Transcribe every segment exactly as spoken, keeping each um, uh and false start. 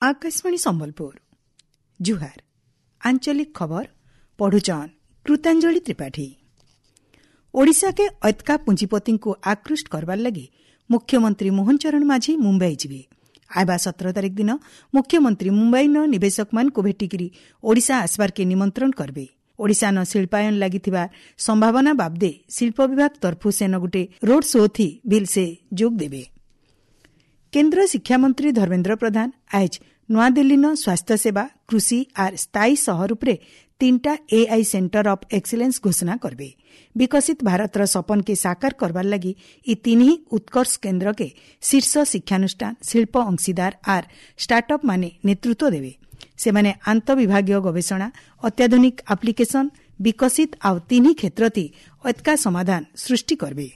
ଆକାଶବାଣୀ ସମ୍ବଲପୁର ଜୁହାର ଆଞ୍ଚଳିକ ଖବର ପଢୁଛନ୍ କୃତାଞ୍ଜଳି ତ୍ରିପାଠୀ ଓଡ଼ିଶାକେ ଅତ୍କା ପୁଞ୍ଜିପତିଙ୍କୁ ଆକୃଷ୍ଟ କରବାର ଲାଗି ମୁଖ୍ୟମନ୍ତ୍ରୀ ମୋହନ ଚରଣ ମାଝୀ ମୁମ୍ବାଇ ଯିବେ ଆଇବା ସତର ତାରିଖ ଦିନ ମୁଖ୍ୟମନ୍ତ୍ରୀ ମୁମ୍ବାଇନ ନିବେଶକମାନଙ୍କୁ ଭେଟିକିରି ଓଡ଼ିଶା ଆସବାରକେ ନିମନ୍ତ୍ରଣ କରବେ ଓଡ଼ିଶାନ ଶିଳ୍ପାୟନ ଲାଗିଥିବା ସମ୍ଭାବନା ବାବଦେ ଶିଳ୍ପ ବିଭାଗ ତରଫୁ ସେନ ଗୁଟେ ରୋଡ୍ ଶୋ ଥି ବିଲ୍ ସେ ଯୋଗ ଦେବେ କେନ୍ଦ୍ର ଶିକ୍ଷାମନ୍ତ୍ରୀ ଧର୍ମେନ୍ଦ୍ର ପ୍ରଧାନ ଆଏଜ୍ ନୂଆଦିଲ୍ଲୀନ ସ୍ୱାସ୍ଥ୍ୟସେବା କୃଷି ଆର୍ ସ୍ଥାୟୀ ସହର ଉପରେ ତିନିଟା ଏଆଇ ସେଣ୍ଟର ଅଫ୍ ଏକ୍ସିଲେନ୍ସ ଘୋଷଣା କରବେ ବିକଶିତ ଭାରତର ସପନକେ ସାକାର କରବାର ଲାଗି ଇ ତିନି ଉତ୍କର୍ଷ କେନ୍ଦ୍ରକେ ଶୀର୍ଷ ଶିକ୍ଷାନୁଷ୍ଠାନ ଶିଳ୍ପ ଅଂଶୀଦାର ଆର୍ ଷ୍ଟାର୍ଟଅପ୍ ମାନେ ନେତୃତ୍ୱ ଦେବେ ସେମାନେ ଆନ୍ତଃବିଭାଗୀୟ ଗବେଷଣା ଅତ୍ୟାଧୁନିକ ଆପ୍ଲିକେସନ ବିକଶିତ ଆଉ ତିନି କ୍ଷେତ୍ରତି ଅତ୍କା ସମାଧାନ ସୃଷ୍ଟି କରବେ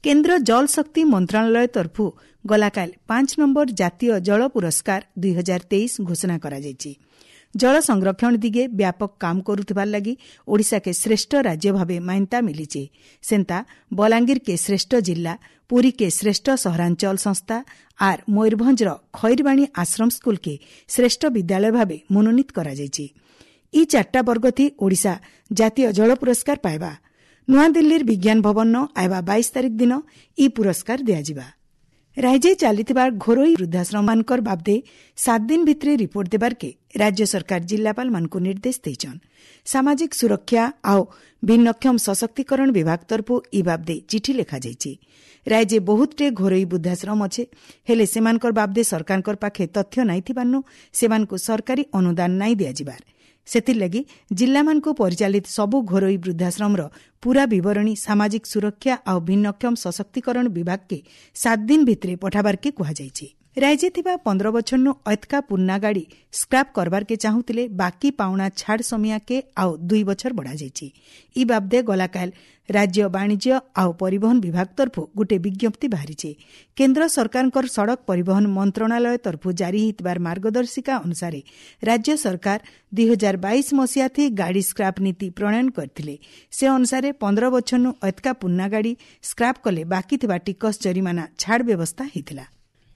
କେନ୍ଦ୍ର ଜଳଶକ୍ତି ମନ୍ତ୍ରଣାଳୟ ତରଫୁ ଗଲାକାଲ ପାଞ୍ଚ ନମ୍ବର ଜାତୀୟ ଜଳ ପୁରସ୍କାର ଦୁଇ ହଜାର ତେଇଶ ଘୋଷଣା କରାଯାଇଛି ଜଳ ସଂରକ୍ଷଣ ଦିଗେ ବ୍ୟାପକ କାମ କରୁଥିବାର ଲାଗି ଓଡ଼ିଶାକେ ଶ୍ରେଷ୍ଠ ରାଜ୍ୟ ଭାବେ ମାନ୍ୟତା ମିଳିଛି ସେନ୍ତା ବଲାଙ୍ଗୀରକେ ଶ୍ରେଷ୍ଠ ଜିଲ୍ଲା ପୁରୀକେ ଶ୍ରେଷ୍ଠ ସହରାଞ୍ଚଳ ସଂସ୍ଥା ଆର୍ ମୟୂରଭଞ୍ଜର ଖଇରବାଣୀ ଆଶ୍ରମ ସ୍କୁଲକେ ଶ୍ରେଷ୍ଠ ବିଦ୍ୟାଳୟ ଭାବେ ମନୋନୀତ କରାଯାଇଛି ଇ ଚାରିଟା ବର୍ଗଥି ଓଡ଼ିଶା ଜାତୀୟ ଜଳ ପୁରସ୍କାର ପାଇବା ନୂଆଦିଲ୍ଲୀର ବିଜ୍ଞାନ ଭବନ ଆଇବା ବାଇଶ ତାରିଖ ଦିନ ଇ ପୁରସ୍କାର ଦିଆଯିବା ରାଜ୍ୟ ଚାଲିଥିବା ଘରୋଇ ବୃଦ୍ଧାଶ୍ରମମାନଙ୍କର ବାବଦେ ସାତ ଦିନ ଭିତରେ ରିପୋର୍ଟ ଦେବାର୍କେ ରାଜ୍ୟ ସରକାର ଜିଲ୍ଲାପାଳମାନଙ୍କୁ ନିର୍ଦ୍ଦେଶ ଦେଇଛନ୍ ସାମାଜିକ ସୁରକ୍ଷା ଆଉ ଭିନ୍ନକ୍ଷମ ସଶକ୍ତିକରଣ ବିଭାଗ ତରଫୁ ଇ ବାବଦେ ଚିଠି ଲେଖାଯାଇଛି ରାଜ୍ୟ ବହୁତଟେ ଘରୋଇ ବୃଦ୍ଧାଶ୍ରମ ଅଛେ ହେଲେ ସେମାନଙ୍କର ବାବଦେ ସରକାରଙ୍କର ପାଖେ ତଥ୍ୟ ନାଇଁ ଥିବାର୍ନୁ ସେମାନଙ୍କୁ ସରକାରୀ ଅନୁଦାନ ନାଇଁ ଦିଆଯିବାର ସେଥିର୍ଲାଗି ଜିଲ୍ଲାମାନଙ୍କୁ ପରିଚାଳିତ ସବୁ ଘରୋଇ ବୃଦ୍ଧାଶ୍ରମର ପୂରା ବିବରଣୀ ସାମାଜିକ ସୁରକ୍ଷା ଆଉ ଭିନ୍ନକ୍ଷମ ସଶକ୍ତିକରଣ ବିଭାଗକେ ସାତ ଦିନ ଭିତରେ ପଠାବାର୍କେ କୁହାଯାଇଛି ରାଜ୍ୟ ଥିବା ପନ୍ଦର ବଛରନୁ ଅତ୍କା ପୁର୍ନା ଗାଡ଼ି ସ୍କ୍ରାପ୍ କରବାର୍କେ ଚାହୁଁଥିଲେ ବାକି ପାଉଣା ଛାଡ଼ ସମିଆକେ ଆଉ ଦୁଇ ବଛର ବଢ଼ାଯାଇଛି ଇ ବାବଦେ ଗଲାକାଲ ରାଜ୍ୟ ବାଣିଜ୍ୟ ଆଉ ପରିବହନ ବିଭାଗ ତରଫୁ ଗୋଟିଏ ବିଜ୍ଞପ୍ତି ବାହାରିଛି କେନ୍ଦ୍ର ସରକାରଙ୍କର ସଡ଼କ ପରିବହନ ମନ୍ତ୍ରଣାଳୟ ତରଫୁ ଜାରି ହୋଇଥିବାର ମାର୍ଗଦର୍ଶିକା ଅନୁସାରେ ରାଜ୍ୟ ସରକାର ଦୁଇ ହଜାର ବାଇଶ ମସିହାଥି ଗାଡ଼ି ସ୍କ୍ରାପ୍ ନୀତି ପ୍ରଣୟନ କରିଥିଲେ ସେ ଅନୁସାରେ ପନ୍ଦର ବଛରନୁ ଅତ୍କା ପୁର୍ନା ଗାଡ଼ି ସ୍କ୍ରାପ୍ କଲେ ବାକି ଥିବା ଟିକସ ଜରିମାନା ଛାଡ଼ ବ୍ୟବସ୍ଥା ହୋଇଥିଲା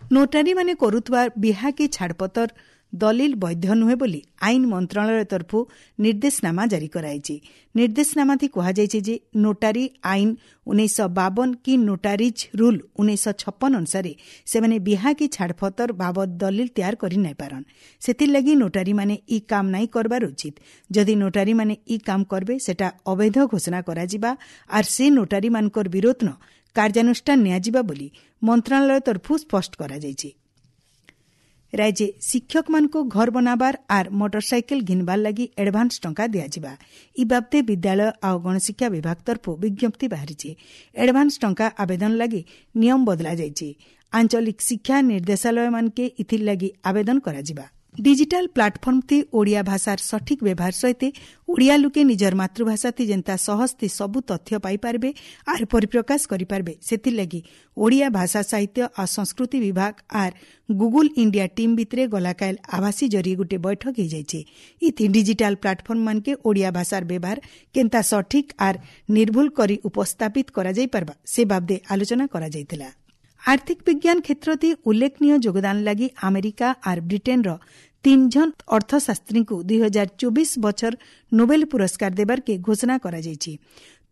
ନୋଟାରୀମାନେ କରୁଥିବା ବିହାକି ଛାଡ଼ପତର ଦଲିଲ ବୈଧ ନୁହେଁ ବୋଲି ଆଇନ ମନ୍ତ୍ରଣାଳୟ ତରଫୁ ନିର୍ଦ୍ଦେଶନାମା ଜାରି କରାଯାଇଛି ନିର୍ଦ୍ଦେଶନାମାଥି କୁହାଯାଇଛି ଯେ ନୋଟାରୀ ଆଇନ ଉଣେଇଶହ ବାବନ କି ନୋଟାରିଜ୍ ରୁଲ୍ ଉଣେଇଶହ ଛପନ ଅନୁସାରେ ସେମାନେ ବିହାକି ଛାଡ଼ପତର ବାବଦ ଦଲିଲ ତିଆର କରି ନାଇପାରନ୍ ସେଥିର୍ଲାଗି ନୋଟାରୀମାନେ ଇ କାମ ନାଇଁ କରବାର ଉଚିତ ଯଦି ନୋଟାରୀମାନେ ଇ କାମ କରବେ ସେଟା ଅବୈଧ ଘୋଷଣା କରାଯିବା ଆର୍ ସେ ନୋଟାରୀମାନଙ୍କର ବିରୋଧନ କାର୍ଯ୍ୟାନୁଷ୍ଠାନ ନିଆଯିବା ବୋଲି ମନ୍ତ୍ରଣାଳୟ ତରଫୁ ସ୍ପଷ୍ଟ କରାଯାଇଛି ରାଜ୍ୟ ଶିକ୍ଷକମାନଙ୍କୁ ଘର ବନାବାର ଆର୍ ମୋଟରସାଇକେଲ ଘିନବାର ଲାଗି ଆଡଭାନ୍ସ ଟଙ୍କା ଦିଆଯିବା ଇ ବାବଦେ ବିଦ୍ୟାଳୟ ଆଉ ଗଣଶିକ୍ଷା ବିଭାଗ ତରଫୁ ବିଜ୍ଞପ୍ତି ବାହାରିଛି ଆଡଭାନ୍ସ ଟଙ୍କା ଆବେଦନ ଲାଗି ନିୟମ ବଦଳାଯାଇଛି ଆଞ୍ଚଳିକ ଶିକ୍ଷା ନିର୍ଦ୍ଦେଶାଳୟମାନକେ ଇଥିର୍ ଲାଗି ଆବେଦନ କରାଯିବା ଡିଜିଟାଲ ପ୍ଲାଟଫର୍ମ ଥି ଓଡ଼ିଆ ଭାଷାର ସଠିକ୍ ବ୍ୟବହାର ସହିତ ଓଡ଼ିଆ ଲୁକେ ନିଜର ମାତୃଭାଷା ଥି ଯେନ୍ତା ସହଜ ଥି ସବୁ ତଥ୍ୟ ପାଇପାରିବେ ଆର୍ ପରିପ୍ରକାଶ କରିପାରିବେ ସେଥିର୍ଲାଗି ଓଡ଼ିଆ ଭାଷା ସାହିତ୍ୟ ଆଉ ସଂସ୍କୃତି ବିଭାଗ ଆର୍ ଗୁଗୁଲ ଇଣ୍ଡିଆ ଟିମ୍ ଭିତରେ ଗଲାକାଲ ଆଭାସୀ ଜରିଏ ଗୋଟିଏ ବୈଠକ ହେଇଯାଇଛି ଇଥି ଡିଜିଟାଲ ପ୍ଲାଟଫର୍ମ ମାନକେ ଓଡ଼ିଆ ଭାଷାର ବ୍ୟବହାର କେନ୍ତା ସଠିକ୍ ଆର୍ ନିର୍ଭୁଲ କରି ଉପସ୍ଥାପିତ କରାଯାଇପାରବା ସେ ବାବଦେ ଆଲୋଚନା କରାଯାଇଥିଲା ଆର୍ଥିକ ବିଜ୍ଞାନ କ୍ଷେତ୍ରତି ଉଲ୍ଲେଖନୀୟ ଯୋଗଦାନ ଲାଗି ଆମେରିକା ଆର୍ ବ୍ରିଟେନ୍ର ତିନ୍ ଜଣ ଅର୍ଥଶାସ୍ତ୍ରୀଙ୍କୁ ଦୁଇ ହଜାର ଚବିଶ ବଛର ନୋବେଲ ପୁରସ୍କାର ଦେବାର୍କେ ଘୋଷଣା କରାଯାଇଛି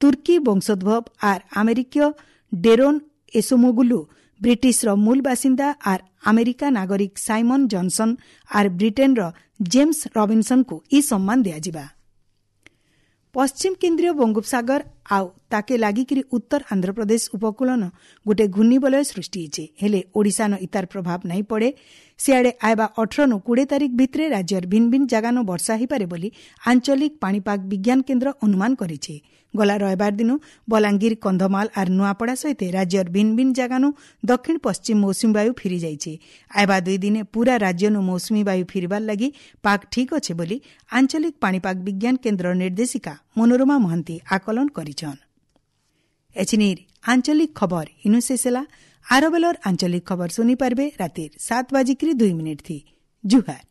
ତୁର୍କୀ ବଂଶୋଦ୍ଭବ ଆର୍ ଆମେରିକୀୟ ଡେରୋନ୍ ଏସୋମୋଗୁଲୁ ବ୍ରିଟିଶର ମୂଳ ବାସିନ୍ଦା ଆର୍ ଆମେରିକା ନାଗରିକ ସାଇମନ୍ ଜନସନ୍ ଆର୍ ବ୍ରିଟେନ୍ର ଜେମ୍ସ ରବିନ୍ସନ୍ଙ୍କୁ ଇ ସମ୍ମାନ ଦିଆଯିବା ପଶ୍ଚିମ କେନ୍ଦ୍ରୀୟ ବଙ୍ଗୋପସାଗର ଆଉ ତାକେ ଲାଗିକିରି ଉତ୍ତର ଆନ୍ଧ୍ରପ୍ରଦେଶ ଉପକୂଳନ ଗୋଟେ ଘୂର୍ଣ୍ଣିବଳୟ ସୃଷ୍ଟି ହେଇছে ହେଲେ ଓଡ଼ିଶାନ ଇତାର ପ୍ରଭାବ ନାଇଁ ପଡ଼େ ସିଆଡ଼େ ଆଇବା ଅଠରନୁ କୋଡ଼ିଏ ତାରିଖ ଭିତରେ ରାଜ୍ୟର ଭିନ୍ନ ଭିନ୍ନ ଜାଗାନୁ ବର୍ଷା ହୋଇପାରେ ବୋଲି ଆଞ୍ଚଳିକ ପାଣିପାଗ ବିଜ୍ଞାନ କେନ୍ଦ୍ର ଅନୁମାନ କରିଛି ଗଲା ରବିବାର ଦିନ ବଲାଙ୍ଗୀର କନ୍ଧମାଳ ଆର୍ ନୂଆପଡ଼ା ସହିତ ରାଜ୍ୟର ଭିନ୍ନ ଭିନ୍ନ ଜାଗାନୁ ଦକ୍ଷିଣ ପଶ୍ଚିମ ମୌସୁମୀ ବାୟୁ ଫିରିଯାଇଛି ଆଇବା ଦୁଇ ଦିନେ ପୂରା ରାଜ୍ୟନୁ ମୌସୁମୀ ବାୟୁ ଫିରିବାର ଲାଗି ପାଗ ଠିକ୍ ଅଛେ ବୋଲି ଆଞ୍ଚଳିକ ପାଣିପାଗ ବିଜ୍ଞାନ କେନ୍ଦ୍ର ନିର୍ଦ୍ଦେଶିକା ମନୋରମା ମହାନ୍ତି ଆକଳନ କରିଛନ୍ ଏଛିନିର୍ ଆଞ୍ଚଳିକ ଖବର ଇନୁ ଶେଷ ହେଲା ଆର ବେଲର ଆଞ୍ଚଳିକ ଖବର ଶୁଣିପାରିବେ ରାତିର ସାତ ବାଜିକିରି ଦୁଇ ମିନିଟ୍ ଥି ଜୁହାର